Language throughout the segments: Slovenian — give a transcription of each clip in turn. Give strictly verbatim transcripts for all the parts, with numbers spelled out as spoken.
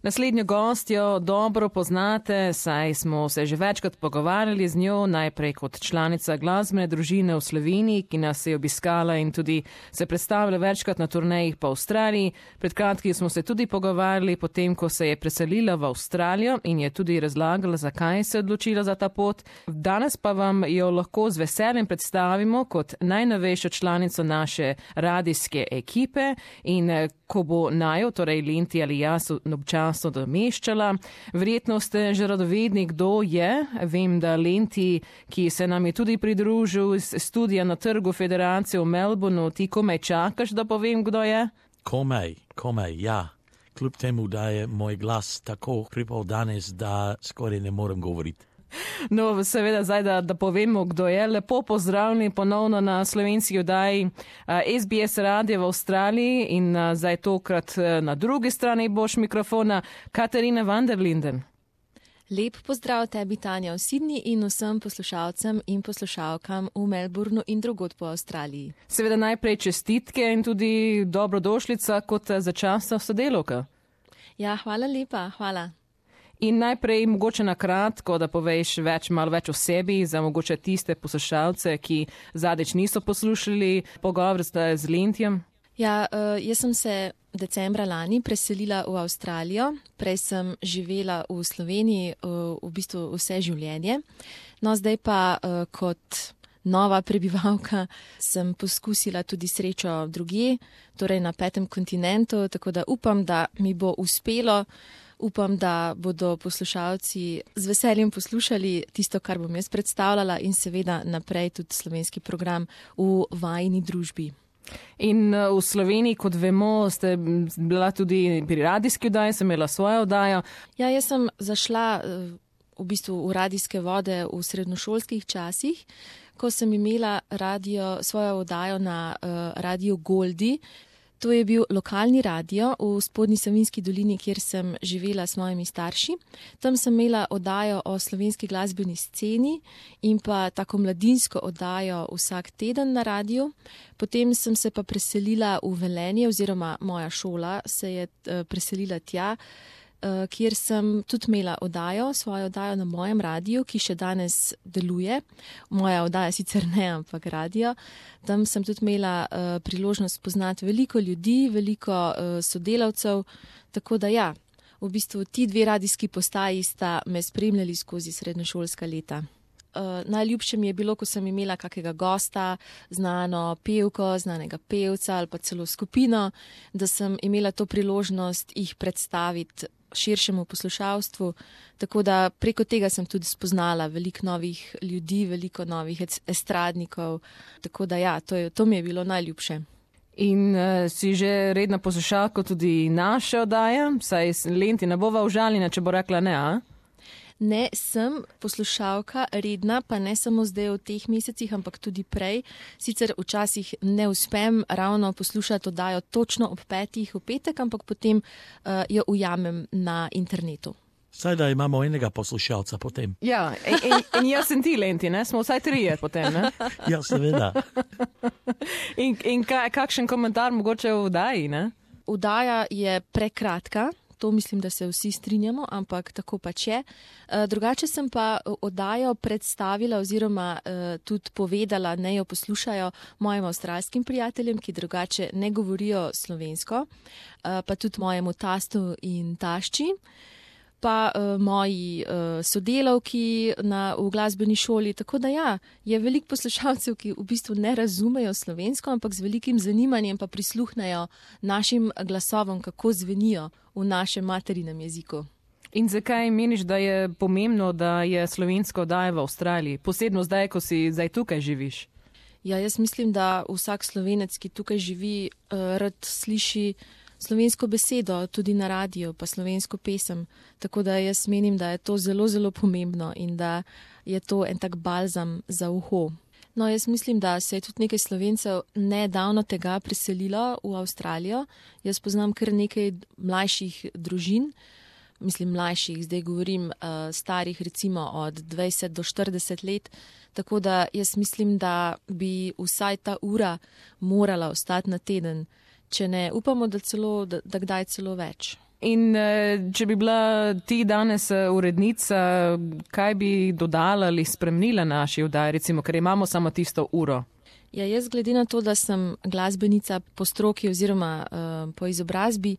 Naslednjo gostjo dobro poznate, saj smo se že večkrat pogovarjali z njo, najprej kot članica glasbene družine v Sloveniji, ki nas je obiskala in tudi se predstavila večkrat na turnejih po Avstraliji. Pred kratkim smo se tudi pogovarjali potem, ko se je preselila v Avstralijo in je tudi razlagala, zakaj se je odločila za ta pot. Danes pa vam jo lahko z veseljem predstavimo kot najnovejšo članico naše radijske ekipe in ko bo najo, torej Lenti ali jaz, občasno domeščala. Verjetno ste že radovedni, kdo je. Vem, da Lenti, ki se nam je tudi pridružil iz studija na Trgu Federacije v Melbourneu, ti komaj čakaš, da povem, kdo je? Komaj, komaj, ja. Kljub temu, da je moj glas tako hripal danes, da skoraj ne morem govoriti. No, seveda zdaj, da, da povemo, kdo je. Lepo pozdravljeni ponovno na slovenski oddaji S B S radio v Avstraliji in zdaj tokrat na drugi strani boš mikrofona Katarina van der Linden. Lep pozdrav tebi, Tanja, v Sydney in vsem poslušalcem in poslušalkam v Melbourneu in drugod po Avstraliji. Seveda najprej čestitke in tudi dobrodošlica kot začasna sodelavka. Ja, hvala lepa, hvala. In najprej mogoče na kratko, da poveš več, malo več o sebi, za mogoče tiste poslušalce, ki zadnjič niso poslušali pogovor z Lentijem. Ja, jaz sem se decembra lani preselila v Avstralijo, prej sem živela v Sloveniji v bistvu vse življenje. No, zdaj pa kot nova prebivalka sem poskusila tudi srečo drugje, torej na petem kontinentu, tako da upam, da mi bo uspelo. Upam, da bodo poslušalci z veseljem poslušali tisto, kar bom jaz predstavljala in seveda naprej tudi slovenski program v vajini družbi. In v Sloveniji, kot vemo, ste bila tudi pri radijski oddaji, sem imela svojo oddajo. Ja, jaz sem zašla v bistvu v radijske vode v srednjošolskih časih, ko sem imela radio, svojo oddajo na uh, Radio Goldi. To je bil lokalni radio v Spodnji Savinjski dolini, kjer sem živela s mojimi starši. Tam sem imela oddajo o slovenski glasbeni sceni in pa tako mladinsko oddajo vsak teden na radiju. Potem sem se pa preselila v Velenje oziroma moja šola se je preselila tja, kjer sem tudi imela oddajo, svojo oddajo na mojem radiju, ki še danes deluje. Moja oddaja sicer ne, ampak radio. Tam sem tudi imela uh, priložnost poznati veliko ljudi, veliko uh, sodelavcev, tako da ja, v bistvu ti dve radijski postaji sta me spremljali skozi srednješolska leta. Uh, najljubše mi je bilo, ko sem imela kakega gosta, znano pevko, znanega pevca ali pa celo skupino, da sem imela to priložnost jih predstaviti širšemu poslušalstvu, tako da preko tega sem tudi spoznala veliko novih ljudi, veliko novih estradnikov, tako da ja, to, je, to mi je bilo najljubše. In uh, si že redna poslušalka tudi naše oddaje, saj Lenti ne bova užaljena, če bo rekla ne, a? Ne, sem poslušalka redna, pa ne samo zdaj v teh mesecih, ampak tudi prej. Sicer včasih ne uspem ravno poslušati oddajo točno ob petih v petek, ampak potem uh, jo ujamem na internetu. Saj da imamo enega poslušalca potem. Ja, in, in, in jaz sem ti, Lenti, ne? Smo vsaj trije potem, ne? Ja, seveda. in in kaj, kakšen komentar mogoče v oddaji, ne? Oddaja je prekratka. To mislim, da se vsi strinjamo, ampak tako pač je. Drugače sem pa oddajo predstavila oziroma tudi povedala, ne jo poslušajo mojim avstralskim prijateljem, ki drugače ne govorijo slovensko, pa tudi mojemu tastu in tašči, pa moji sodelavki na, v glasbeni šoli. Tako da ja, je veliko poslušalcev, ki v bistvu ne razumejo slovensko, ampak z velikim zanimanjem pa prisluhnejo našim glasovom, kako zvenijo v našem materinem jeziku. In zakaj meniš, da je pomembno, da je slovensko oddaja v Avstraliji, posebno zdaj, ko si zdaj tukaj živiš? Ja, jaz mislim, da vsak Slovenec, ki tukaj živi, rad sliši slovensko besedo, tudi na radiju, pa slovensko pesem. Tako da jaz menim, da je to zelo, zelo pomembno in da je to en tak balzam za uho. No, jaz mislim, da se je tudi nekaj Slovencev nedavno tega preselilo v Avstralijo. Jaz poznam kar nekaj mlajših družin, mislim mlajših, zdaj govorim uh, starih recimo od dvajset do štirideset let, tako da jaz mislim, da bi vsaj ta ura morala ostati na teden, če ne upamo, da, celo, da, da kdaj celo več. In če bi bila ti danes urednica, kaj bi dodala ali spremenila naši oddaji, recimo, ker imamo samo tisto uro? Ja, jaz glede na to, da sem glasbenica po stroki oziroma uh, po izobrazbi,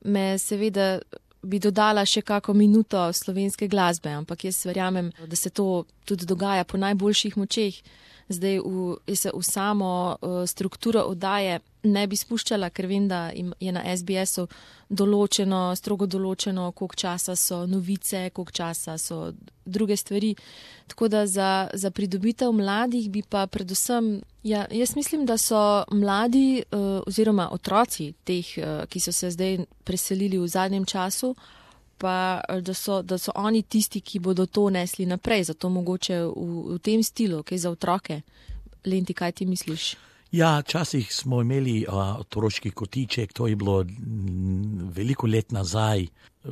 me seveda bi dodala še kako minuto slovenske glasbe, ampak jaz verjamem, da se to tudi dogaja po najboljših močeh. Zdaj v, se v samo uh, strukturo oddaje ne bi spuščala, ker vem, da je na S B S-u določeno, strogo določeno, koliko časa so novice, koliko časa so druge stvari. Tako da za, za pridobitev mladih bi pa predvsem, ja, jaz mislim, da so mladi uh, oziroma otroci teh, uh, ki so se zdaj preselili v zadnjem času, pa da so, da so oni tisti, ki bodo to nesli naprej, zato mogoče v, v tem stilu, kaj za otroke. Lenti, kaj ti misliš? Ja, časih smo imeli uh, otroški kotiček, to je bilo m, veliko let nazaj,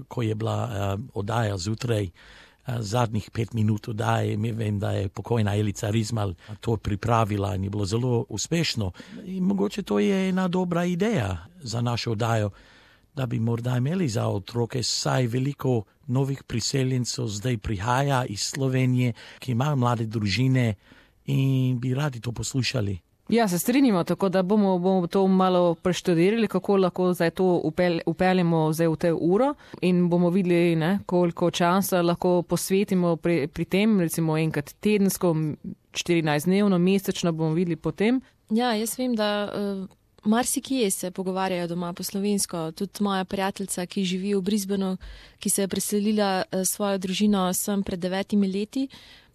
ko je bila uh, oddaja zjutraj, uh, zadnjih pet minut oddaje. Mi vem, da je pokojna Elica Rizmal to pripravila in je bilo zelo uspešno. In mogoče to je ena dobra ideja za našo oddajo, da bi morda imeli za otroke, saj veliko novih priseljencev zdaj prihaja iz Slovenije, ki imajo mlade družine in bi radi to poslušali. Ja, se strinjamo, tako da bomo, bomo to malo preštudirali, kako lahko zdaj to upel, upeljemo zdaj v te uro in bomo videli, ne, koliko časa lahko posvetimo pri, pri tem, recimo enkrat tedensko, štirinajst dnevno, mesečno bomo videli potem. Ja, jaz vem, da uh, marsikje se pogovarjajo doma po slovensko. Tudi moja prijateljica, ki živi v Brisbaneu, ki se je preselila uh, svojo družino sem pred devetimi leti,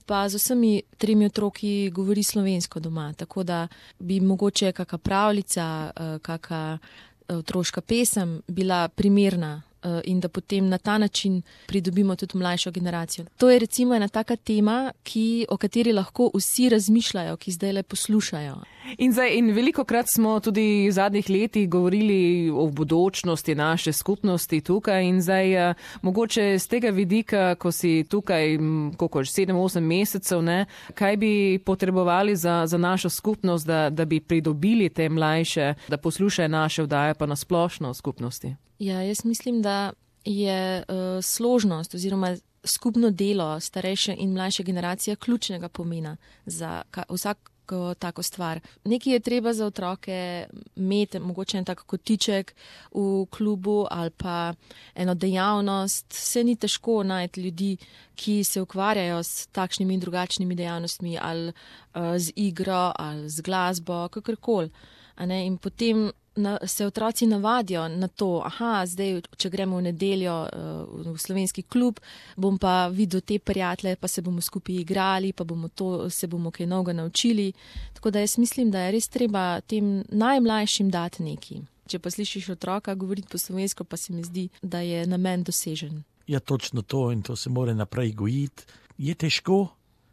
pa z vsemi tremi otroki govori slovensko doma, tako da bi mogoče kaka pravljica, kaka otroška pesem bila primerna in da potem na ta način pridobimo tudi mlajšo generacijo. To je recimo ena taka tema, ki, o kateri lahko vsi razmišljajo, ki zdaj le poslušajo. In, zdaj, in veliko krat smo tudi v zadnjih letih govorili o bodočnosti naše skupnosti tukaj in zdaj uh, mogoče z tega vidika, ko si tukaj koliko, sedem, osem mesecev, ne, kaj bi potrebovali za, za našo skupnost, da, da bi pridobili te mlajše, da poslušajo naše oddaje pa na splošno v skupnosti? Ja, jaz mislim, da je uh, složnost oziroma skupno delo starejše in mlajše generacije ključnega pomena za ka, vsak tako stvar. Nekaj je treba za otroke imeti, mogoče en tak kotiček v klubu ali pa eno dejavnost. Vse ni težko najti ljudi, ki se ukvarjajo s takšnimi in drugačnimi dejavnostmi ali uh, z igro ali z glasbo, kakorkoli. In potem na, se otroci navadijo na to, aha, zdaj, če gremo v nedeljo uh, v slovenski klub, bom pa videl te prijatelje, pa se bomo skupaj igrali, pa bomo to, se bomo kaj novega naučili. Tako da jaz mislim, da je res treba tem najmlajšim dati neki. Če pa slišiš otroka govoriti po slovensko, pa se mi zdi, da je namen dosežen. Ja, točno to in to se mora naprej gojiti. Je težko,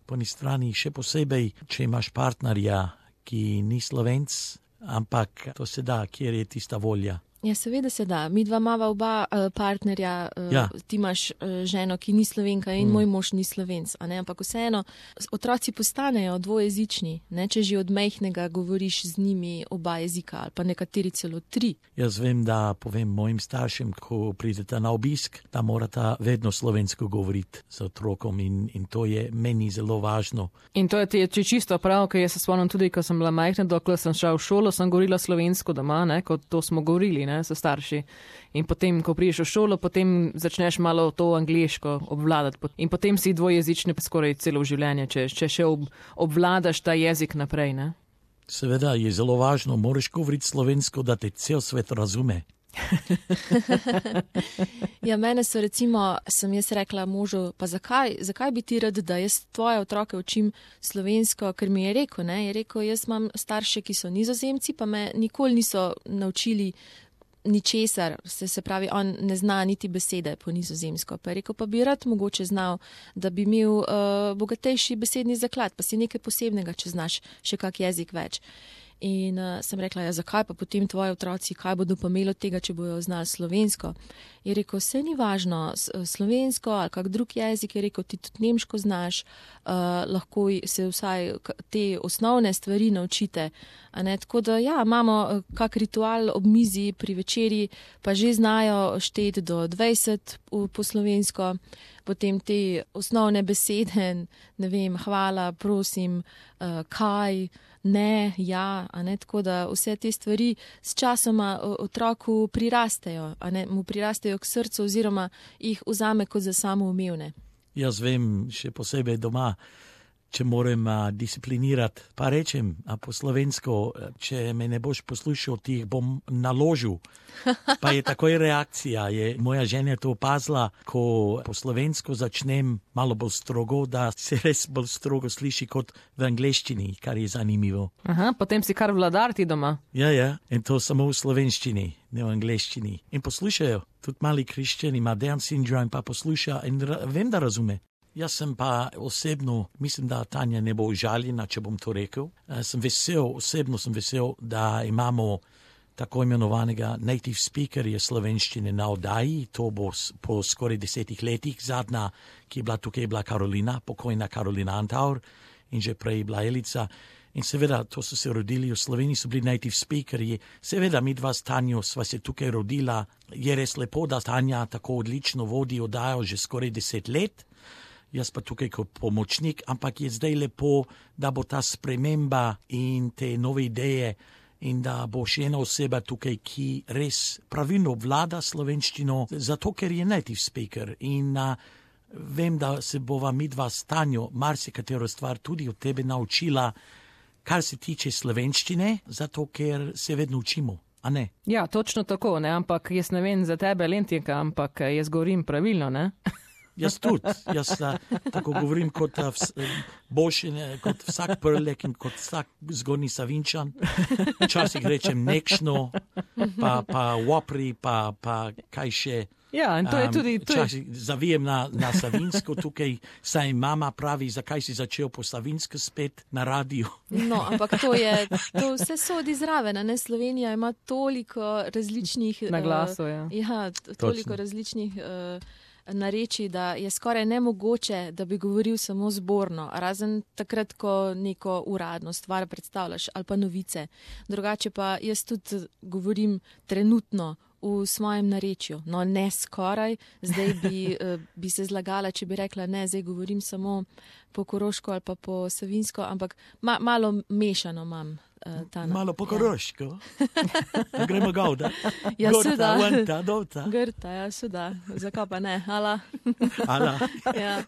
po eni strani še posebej, če imaš partnerja, ki ni Slovenc, ampak to se da, kjer je tista volja. Ja, seveda se da. Mi dva imava oba uh, partnerja, uh, ja. Ti imaš uh, ženo, ki ni Slovenka in mm. moj mož ni Slovenc, a ne? Ampak vseeno, otroci postanejo dvojezični, ne? Če že od majhnega govoriš z njimi oba jezika ali pa nekateri celo tri. Jaz vem, da povem mojim staršem, ko pridete na obisk, da morata vedno slovensko govoriti z otrokom in, in to je meni zelo važno. In to je ti čisto prav, ker jaz se spomnim tudi, ko sem bila majhna, dokler sem šla v šolo, sem govorila slovensko doma, ne? Kot to smo govorili, ne? So starši. In potem, ko priješ v šolo, potem začneš malo to angleško obvladati. In potem si dvojezični skoraj celo življenje, če, če še ob, obvladaš ta jezik naprej, ne? Seveda je zelo važno, moraš govoriti slovensko, da te cel svet razume. Ja, mene so recimo, sem jaz rekla možu, pa zakaj, zakaj bi ti rad, da jaz tvoje otroke učim slovensko, ker mi je rekel, ne, je rekel, jaz imam starše, ki so Nizozemci, pa me nikoli niso naučili ničesar, se, se pravi, on ne zna niti besede po nizozemsko. Pa je rekel, pa bi rad mogoče znal, da bi imel uh, bogatejši besedni zaklad, pa si nekaj posebnega, če znaš še kak jezik več. In uh, sem rekla, ja, zakaj pa potem tvoji otroci, kaj bodo pa imeli od tega, če bojo znali slovensko. Je rekel, vse ni važno, slovensko ali kak drug jezik, je rekel, ti tudi nemško znaš, uh, lahko se vsaj te osnovne stvari naučite. A ne? Tako da ja, imamo kak ritual ob mizi pri večeri, pa že znajo šteti do dvajset po slovensko, potem te osnovne besede, ne vem, hvala, prosim, uh, kaj, ne, ja, a ne, tako da vse te stvari s časoma otroku prirastejo, a ne, mu prirastejo k srcu oziroma jih vzame kot za samoumevne. Jaz vem, še posebej doma, če moram a, disciplinirati, pa rečem a po slovensko, če me ne boš poslušal, ti jih bom naložil. Pa je takoj reakcija. Je, moja žena je to opazila, ko po slovensko začnem malo bolj strogo, da se res bolj strogo sliši kot v angleščini, kar je zanimivo. Aha, potem si kar vladar ti doma. Ja, ja, in to samo v slovenščini, ne v angleščini. In poslušajo, tudi mali krščani ima Down syndrome, pa posluša in ra- vem, da razume. Jaz sem pa osebno, mislim, da Tanja ne bo užaljena, če bom to rekel. Uh, sem vesel, osebno sem vesel, da imamo tako imenovanega native speakerja slovenščine na oddaji. To bo po skoraj desetih letih. Zadnja, ki je bila tukaj, je bila Karolina, pokojna Karolina Antaur in že prej je bila Elica. In seveda, to so se rodili v Sloveniji, so bili native speakerji. Seveda, mi dva s Tanjo sva se tukaj rodila. Je res lepo, da Tanja tako odlično vodi oddajo že skoraj deset let. Jaz pa tukaj kot pomočnik, ampak je zdaj lepo, da bo ta sprememba in te nove ideje in da bo še ena oseba tukaj, ki res pravilno vlada slovenščino, zato ker je native speaker. In a, vem, da se bova mi dva s Tanjo marsikatero stvar tudi od tebe naučila, kar se tiče slovenščine, zato ker se vedno učimo. A ne? Ja, točno tako, ne, ampak jaz ne vem za tebe, Lentinka, ampak jaz govorim pravilno, ne? Jaz tudi, jaz uh, tako govorim kot, uh, vs, boljši, ne, kot vsak prlek in kot vsak zgornji Savinčan. Včasih rečem nekšno, pa, pa wopri, pa, pa kaj še. Ja, in to je tudi... Um, včasih zavijem na, na Savinsko tukaj, saj mama pravi, zakaj si začel po Savinsko spet na radiju. No, ampak to je, to vse sodi zraven, ne? Slovenija ima toliko različnih... Na glasu, ja. Uh, ja, toliko Točno. različnih... Uh, nareči, da je skoraj nemogoče, da bi govoril samo zborno, razen takrat, ko neko uradno stvar predstavljaš ali pa novice. Drugače pa jaz tudi govorim trenutno v svojem narečju. No, ne skoraj, zdaj bi, bi se zlagala, če bi rekla, ne, zdaj govorim samo po koroško ali pa po savinsko, ampak ma, malo mešano imam. Tana. Malo po koroško. Ja. Gremo gauda. Ja, Gorta, vanta, dovta. Grta, ja, suda. Zakaj pa ne? Ala. Ala. Ja.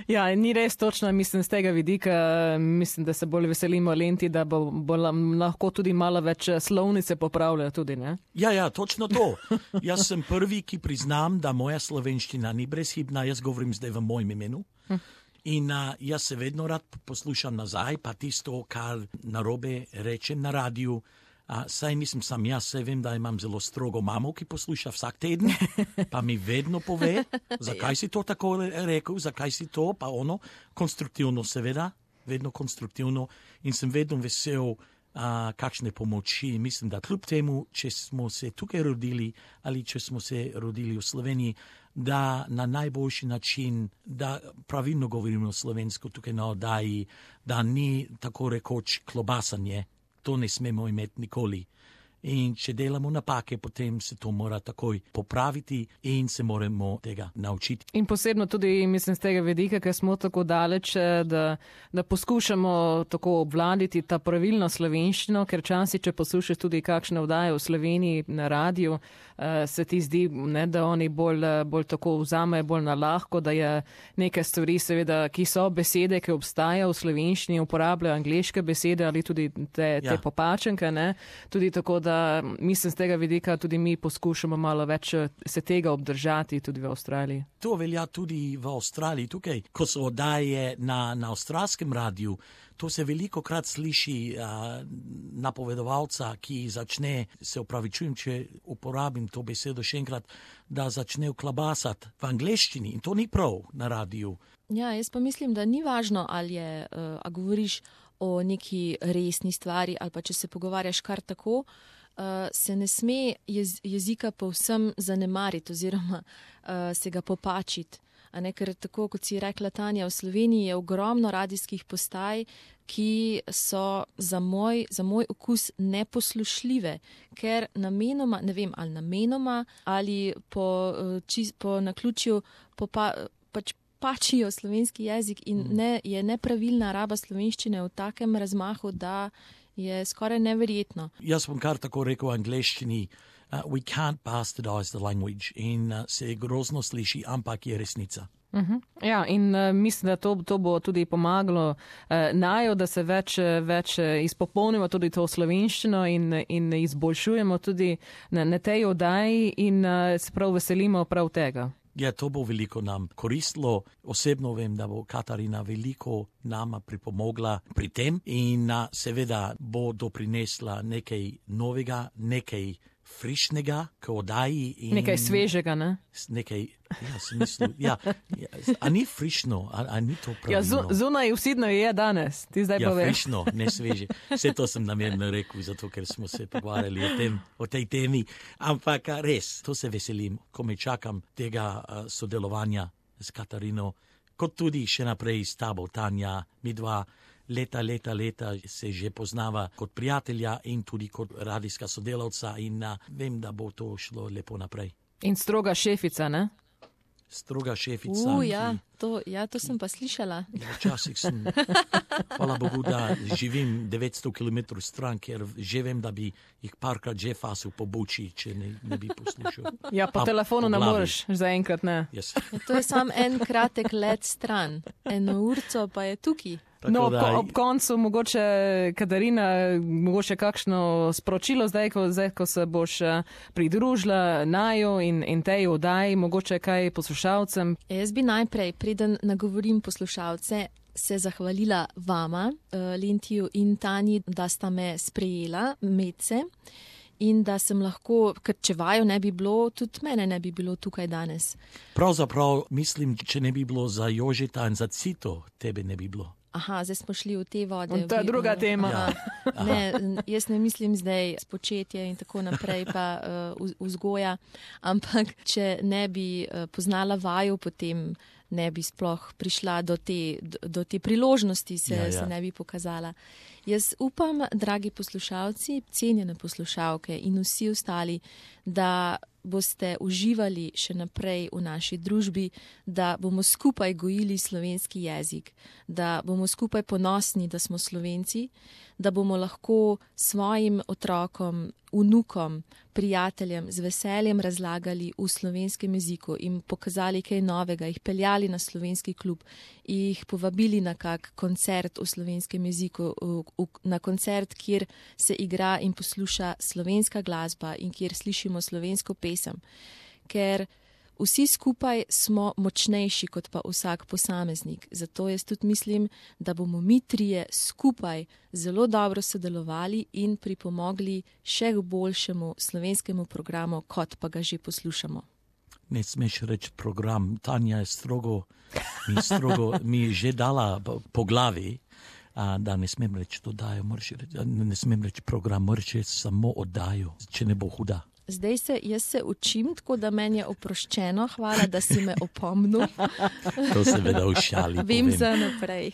Ja, ni res točno, mislim, z tega vidika, mislim, da se bolj veselimo Lenti, da bo, bo lahko tudi malo več slovnice popravljajo tudi, ne? Ja, ja, točno to. Jaz sem prvi, ki priznam, da moja slovenščina ni brezhibna, jaz govorim zdaj v mojem imenu. Hm. In uh, jaz se vedno rad poslušam nazaj, pa tisto, kar narobe rečem na radiju. Uh, saj nisem sam jaz, saj vem, da imam zelo strogo mamo, ki posluša vsak teden, pa mi vedno pove, zakaj si to tako rekel, zakaj si to, pa ono, konstruktivno seveda, vedno konstruktivno. In sem vedno vesel, uh, kakšne pomoči. Mislim, da kljub temu, če smo se tukaj rodili ali če smo se rodili v Sloveniji, da na najboljši način, da pravilno govorimo slovensko tukaj na oddaji, da ni tako rekoč klobasanje. To ne smemo imeti nikoli. In če delamo napake, potem se to mora takoj popraviti in se moramo tega naučiti. In posebno tudi, mislim, z tega vidika, ker smo tako daleč, da, da poskušamo tako obvladiti ta pravilno slovenščino, ker časi, če poslušaš tudi kakšne oddaje v Sloveniji na radiju, se ti zdi, ne, da oni bolj, bolj tako vzamejo bolj na lahko, da je neke stvari, seveda, ki so besede, ki obstajajo v slovenščini, uporabljajo angleške besede ali tudi te, te ja. popačenke, ne, tudi tako, da Da, mislim, z tega vidika tudi mi poskušamo malo več se tega obdržati tudi v Avstraliji. To velja tudi v Avstraliji. Tukaj, ko so oddaje na, na avstralskem radiju, to se veliko krat sliši uh, napovedovalca, ki začne, se opravičujem, če uporabim to besedo še enkrat, da začne klabasati v angleščini. In to ni prav na radiju. Ja, jaz pa mislim, da ni važno, ali je, uh, a govoriš o neki resni stvari ali pa če se pogovarjaš kar tako, uh, se ne sme jez, jezika povsem zanemariti oziroma uh, se ga popačiti. A ne, ker tako, kot si rekla Tanja, v Sloveniji je ogromno radijskih postaj, ki so za moj, za moj okus neposlušljive, ker namenoma, ne vem, ali namenoma, ali po, čist, po naključju popa, pač pačijo slovenski jezik in ne, je nepravilna raba slovenščine v takem razmahu, da je skoraj neverjetno. Jaz bom kar tako rekel v angleščini, Uh, we can't bastardize the language in uh, se grozno sliši, ampak je resnica. Uh-huh. Ja, in uh, mislim, da to, to bo tudi pomagalo uh, naju, da se več, več izpopolnimo tudi to slovenščino in, in izboljšujemo tudi na, na tej oddaji in uh, se prav veselimo prav tega. Ja, to bo veliko nam koristilo. Osebno vem, da bo Katarina veliko nama pripomogla pri tem in uh, seveda bo doprinesla nekaj novega, nekaj frišnega, k oddaji. In nekaj svežega, ne? Nekaj, ja, smislu, ja, ja, a ni frišno, a, a ni to pravilno? Ja, zunaj vsidno je danes, ti zdaj ja, poveš. Ja, frišno, ne sveže. Vse to sem namerno rekel, zato ker smo se pogovarjali o, tem, o tej temi, ampak res, to se veselim, ko me čakam tega uh, sodelovanja s Katarino, kot tudi še naprej s tabo, Tanja, mi dva. Leta, leta, leta se že poznava kot prijatelja in tudi kot radijska sodelavca in uh, vem, da bo to šlo lepo naprej. In stroga šefica, ne? Stroga šefica. Uh, ja, to, ja, to sem pa slišala. Včasih sem, hvala Bogu, da živim devetsto kilometrov stran, ker že vem, da bi jih parkrat že fasil po buči, če ne, ne bi poslušal. Ja, po A, telefonu po ne moreš, zaenkrat ne. Yes. Ja, to je sam en kratek let stran, eno urco pa je tukaj. Tako no, da, ko, ob koncu mogoče, Katarina, mogoče kakšno sporočilo zdaj, ko, zdaj, ko se boš pridružila naju in, in tej oddaji, mogoče kaj poslušalcem? Jaz bi najprej, preden nagovorim poslušalce, se zahvalila vama, Lentiju in Tanji, da sta me sprejela, medse, in da sem lahko, ker če vaju ne bi bilo, tudi mene ne bi bilo tukaj danes. Pravzaprav mislim, če ne bi bilo za Jožeta in za Cito, tebe ne bi bilo. Aha, zdaj smo šli v te vode. To je druga tema. Ja. Ne, jaz ne mislim zdaj spočetje in tako naprej pa uh, vzgoja, ampak če ne bi uh, poznala vaju, potem ne bi sploh prišla do te, do, do te priložnosti, se, ja, ja. se ne bi pokazala. Jaz upam, dragi poslušalci, cenjene poslušalke in vsi ostali, da boste uživali še naprej v naši družbi, da bomo skupaj gojili slovenski jezik, da bomo skupaj ponosni, da smo Slovenci, da bomo lahko svojim otrokom, vnukom, prijateljem z veseljem razlagali v slovenskem jeziku in pokazali kaj novega, jih peljali na slovenski klub, jih povabili na kak koncert v slovenskem jeziku, na koncert, kjer se igra in posluša slovenska glasba in kjer slišimo slovensko pesem, ker vsi skupaj smo močnejši kot pa vsak posameznik. Zato jaz tudi mislim, da bomo mi trije skupaj zelo dobro sodelovali in pripomogli še k boljšemu slovenskemu programu, kot pa ga že poslušamo. Ne smeš reči program, Tanja je strogo, mi, strogo, mi je že dala po glavi, a, da ne smem reči dodajo, reči, ne smem reči program, moraš reči samo oddajo, če ne bo huda. Zdaj se, jaz se učim, tako da meni je oproščeno. Hvala, da si me opomnil. To se veda v šali. Vem povem. za naprej.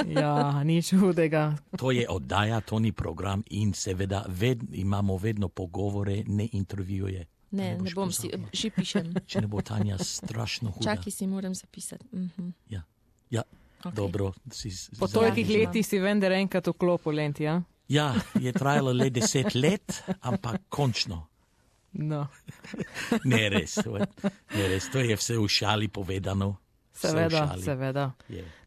Ja, nič hudega. To je oddaja, to ni program in seveda ved, imamo vedno pogovore, ne intervjuje. Ne, ne, ne bom si, že pišem. Če ne bo Tanja strašno huda. Čakaj, si moram zapisati. Mhm. Ja, ja. Okay. Dobro. Si, po tolikih letih si vendar enkrat vklopil, Lenti, ja? Ja, je trajalo le deset let, ampak končno. No. ne, res, ne res, to je vse v šali povedano. Seveda, seveda.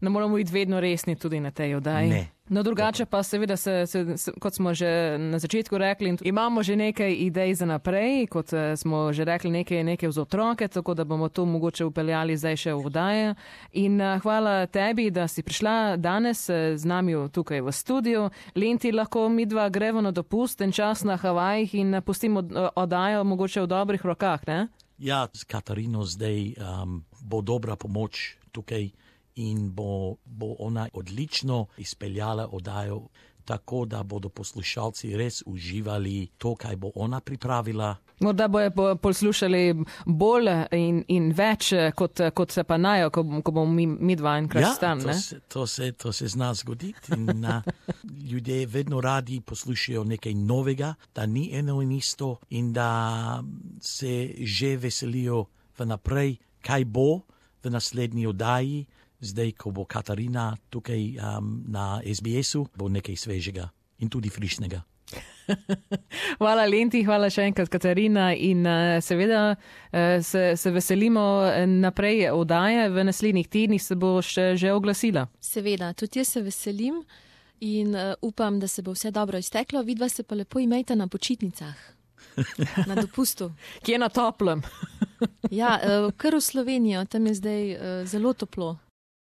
Ne moramo biti vedno resni tudi na tej oddaji. Ne. No, drugače pa seveda, se, se, se, kot smo že na začetku rekli, imamo že nekaj idej za naprej, kot smo že rekli, nekaj, nekaj za otroke, tako da bomo to mogoče upeljali zdaj še v oddaje. In uh, hvala tebi, da si prišla danes z nami tukaj v studiu. Lenti, lahko mi dva gremo na dopust, en čas na Havajih in pustimo oddajo mogoče v dobrih rokah, ne? Ja, s Katarino zdaj um, bo dobra pomoč tukaj in bo, bo ona odlično izpeljala oddajo, tako da bodo poslušalci res uživali to, kaj bo ona pripravila. Morda bojo poslušali bolj in, in več, kot, kot se pa najo, ko, ko bomo mi, mi dva enkrat ja, stan. To, to, se, to se zna zgoditi. In, uh, ljudje vedno radi poslušajo nekaj novega, da ni eno in isto in da se že veselijo vnaprej, kaj bo v naslednji oddaji. Zdaj, ko bo Katarina tukaj um, na S B S-u, bo nekaj svežega in tudi frišnega. Hvala Lenti, hvala še enkrat Katarina in uh, seveda uh, se, se veselimo naprej oddaje, v naslednjih tednih se bo še že oglasila. Seveda, tudi jaz se veselim in uh, upam, da se bo vse dobro izteklo, vidva se pa lepo imejte na počitnicah, na dopustu. Kje na toplem? Ja, uh, kar v Slovenijo, tam je zdaj uh, zelo toplo.